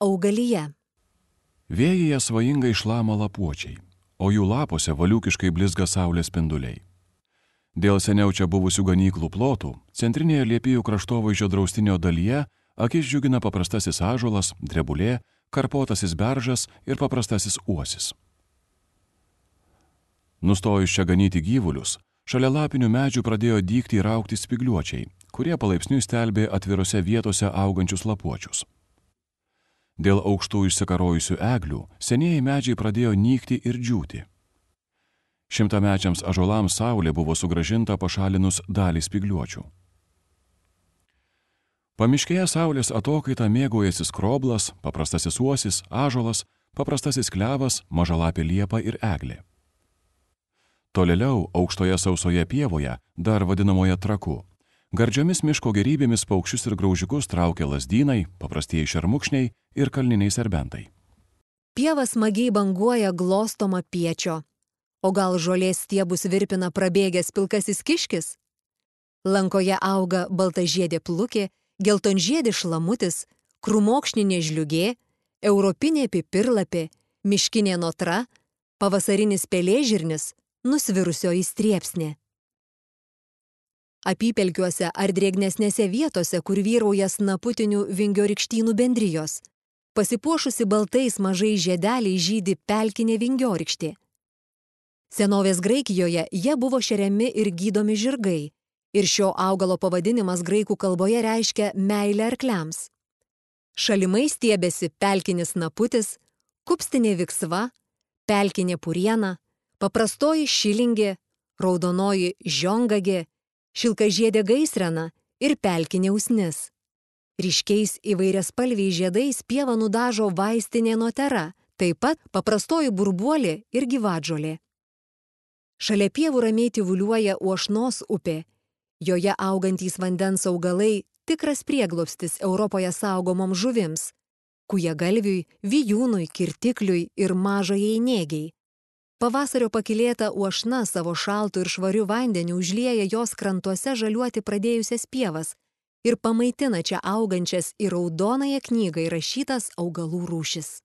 Augalija. Vėjyje svajingai šlama lapuočiai, o jų lapuose valiukiškai blizga saulės spinduliai. Dėl seniau čia buvusių ganyklų plotų, centrinėje Liepijų kraštovaizdžio draustinio dalyje akis džiugina paprastasis ąžuolas, drebulė, karpotasis beržas ir paprastasis uosis. Nustojus čia ganyti gyvulius, šalia lapinių medžių pradėjo dygti ir augti spygliuočiai, kurie palaipsniui stelbė atvirose vietose augančius lapuočius. Dėl aukštų išsikarojusių eglių senieji medžiai pradėjo nykti ir džiūti. Šimtamečiams ąžuolams saulė buvo sugrąžinta pašalinus dalį spygliuočių. Pamiškėje saulės atokaitą mėgaujasi skroblas, paprastasis uosis, ąžuolas, paprastasis klevas, mažalapė liepa ir eglė. Tolėliau aukštoje sausoje pievoje, dar vadinamoje traku, gardžiomis miško gerybėmis paukščius ir graužikus traukia lazdynai, paprastieji šermukšniai ir kalniniai serbentai. Pieva smagiai banguoja glostoma piečio. O gal žolės stiebus virpina prabėgęs pilkasis kiškis? Lankoje auga baltažiedė plukė, geltonžiedė šlamutis, krūmokšninė žliugė, europinė pipirlapė, miškinė notra, pavasarinis pelėžirnis, nusvirusioji striepsnė. Apypelkiuose ar drėgnesnėse vietose, kur vyrauja snaputinių vingiorykštynų bendrijos, pasipuošusi baltais mažais žiedeliais žydi pelkinė vingiorykštė. Senovės Graikijoje jie buvo šeriami ir gydomi žirgai, ir šio augalo pavadinimas graikų kalboje reiškia meilę arkliams. Šalimai stiebėsi pelkinis snaputis, kupstinė viksva, pelkinė puriena, paprastoji šilingė, raudonoji žiongagė, šilkažiedė gaisrena ir pelkinė usnis. Ryškiais įvairiaspalviais žiedais pievą nudažo vaistinė notera, taip pat paprastoji burbuolė ir gyvatžolė. Šalia pievų ramiai tyvuliuoja Uošnos upė. Joje augantys vandens augalai tikras prieglobstis Europoje saugomoms žuvims – kujagalviui, vijūnui, kirtikliui ir mažajai nėgiai. Pavasario pakylėta Uošna savo šaltu ir švariu vandeniu užlieja jos krantuose žaliuoti pradėjusias pievas ir pamaitina čia augančias į raudonąją knygą įrašytas augalų rūšis.